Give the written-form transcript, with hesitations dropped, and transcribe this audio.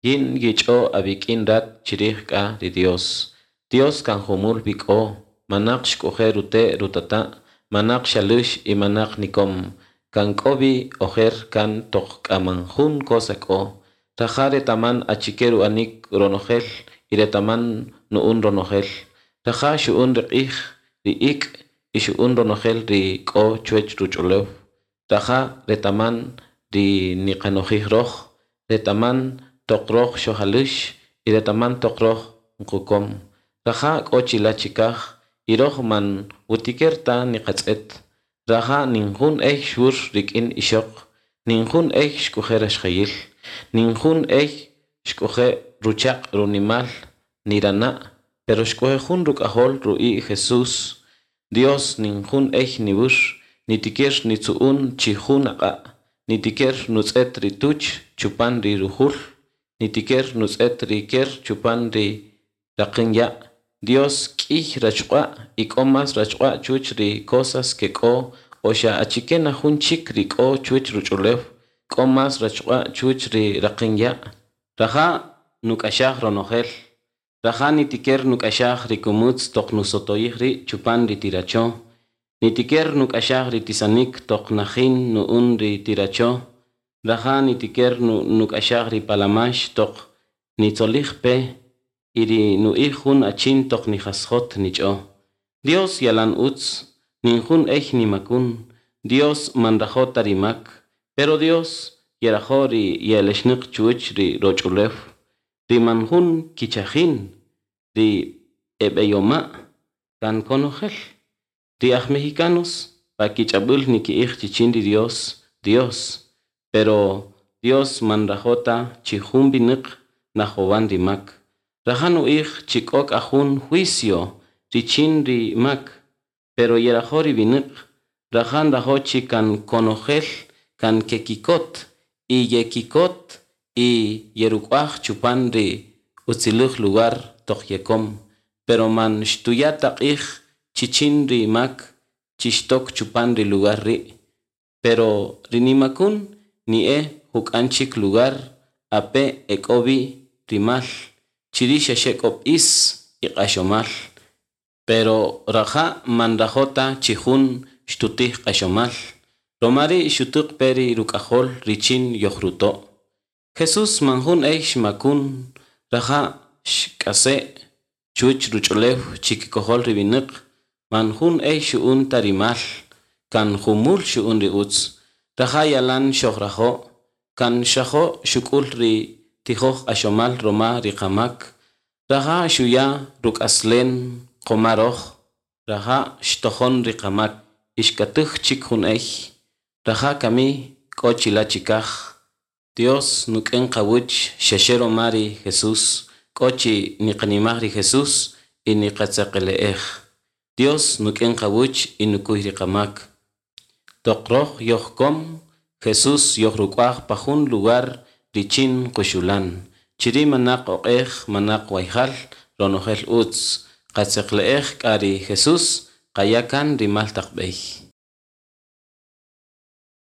Yin yich'o awik'in rat chirij k'a ri Dios. Dios kan jumul wi k'o, manaq xk'oje' rute' rutata', manaq xalux y manaq nikom. Kan k'o wi ojer kan toq k'a man jun cosa k'o. Raja' retaman achike ru'anik ronojel y retaman nu'un ronojel. Raja' xu'un ri q'ij, ri ik' y xu'un ronojel ri k'o chuwech ruch'ulew. Raja' retaman ri niqanojij roj, retaman toq roj xojalux y retaman toq roj nqukom. Raja' k'o chila' chikaj y roj man wutiker ta niqatz'et. Raja' nin jun ey xwur rik'in ixoq, nin jun ey xk'oje' raxjayil, nin jun ey xk'oje' ruchaq' runimal nirana', pero xk'oje' jun ruk'ajol ru'i' Jesús. Dios nin jun ey niwur, nitiker nitzu'un chi jun aq'a', nitiker nutz'et ri tuch chupan ri rujul, nitiker nutz'et ri ker chupan ri raqän ya'. Dios k'iy rachuq'a' y k'o más rachuq'a' chuwech ri cosas que k'o o xa achike na jun chik ri k'o chuwech ruch'ulew, k'o más rachuq'a' chuwech ri raqän ya'. Raja' nuk'axaj ronojel. Raja' nitiker nuk'axaj ri kumutz toq nusotoyij ri' chupan ri tiracho. Nitiker nuk'axaj ri tisanik toq najin nu'un ri tiracho. Raja' nitiker nuk'axaj ri palamax toq nitzolij pe y ri nu'ij jun achin toq nijasjot nich'o. Dios yalan utz, nin jun ey nimakun. Dios man rajo' ta ri mak, pero Dios yerajo' ri ye'elexnaq chuwech ri roch'ulew, ri man jun kichajin, ri eb'eyoma', kan konojel. Ri aj mexicanos pa kich'ab'äl niki'ij chichin ri Dios, Dios, pero Dios man rajo' ta chi jun winäq najowan ri mak. Raja' nu'ij chi k'o k'a jun juicio richin ri mak, pero yerajo' ri winäq. Raja' nrajo' chi kan konojel kan kekikot y yekikot y yeruk'uaj chupan ri utziläj lugar toq yekom, pero man xtuya' ta q'ij chichin ri mak chi xtok chupan ri lugar ri'. Pero ri nimakun ni'e juk'an chik lugar ape' ek'o wi ri mal, chiri' xaxe k'o b'is y q'axomal. Pero raja' man nrajo' ta chi jun xtutij q'axomal, roma ri' xutäq pe ri ruk'ajol richin yojruto'. Jesús man jun ey xmakun, raja' xk'ase' chuwech ruch'ulew chikikojol ri winäq, man jun ey xu'un ta ri mal, kan jumul xu'un ri utz. Raja' yalan xojrajo', kan xrajo' xuk'ul ri tijoj q'axomal roma ri qamak. Raja' xuya' ruk'aslen qoma roj, raja' xtojon ri qamak y xkatäj chik jun ey. Raja' kami k'o chila' chikaj. Dios nuk'en qawäch xaxe roma ri Jesús, k'o chi niqanimaj ri Jesús y niqatzeqele'ej. Dios nuk'en qawäch y nukuy ri qamak. Toq roj yojkom, Jesús yojruk'uaj pa jun lugar richin quxulan. Chiri' manaq oq'ej, manaq wayjal, ronojel utz. Qatzeqle'ej k'a ri Jesús, qaya' kan ri mal taq b'ey.